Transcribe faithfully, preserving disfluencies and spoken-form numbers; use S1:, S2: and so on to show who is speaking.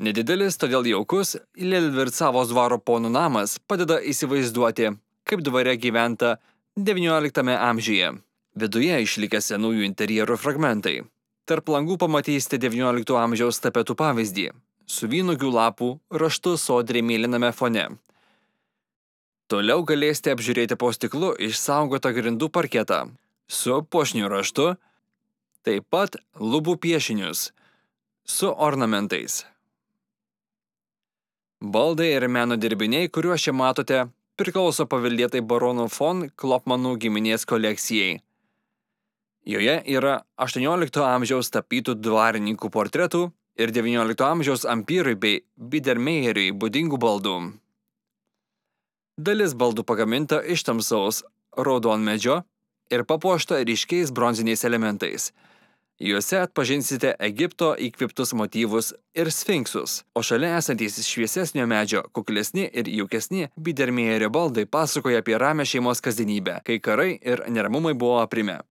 S1: Nedidelis, todėl jaukus, Lelvircavos dvaro ponų namas padeda įsivaizduoti, kaip dvare gyventa devynioliktame amžiuje. Viduje išlikę senųjų interjerų fragmentai. Tarp langų pamatysite devyniolikto amžiaus tapetų pavyzdį, su vynuogių lapų raštu sodriai mėlyname fone. Toliau galėsite apžiūrėti po stiklu išsaugotą grindų parketą su puošniu raštu, taip pat lubų piešinius su ornamentais. Baldai ir meno dirbiniai, kuriuos čia matote, priklauso paveldėtai baronų von Klopmanų giminės kolekcijai. Joje yra aštuoniolikto amžiaus tapytų dvarininkų portretų ir devyniolikto amžiaus ampyrui bei Biedermeieriui būdingų baldų. Dalis baldų pagaminta iš tamsaus raudonmedžio ir papuošta ryškiais bronziniais elementais. Juose atpažinsite Egipto įkvėptus motyvus ir sfinksus, o šalia esantys šviesesnio medžio, kuklesni ir jaukesni Biedermeierio baldai pasakoja apie ramią šeimos kasdienybę, kai karai ir neramumai buvo aprimę.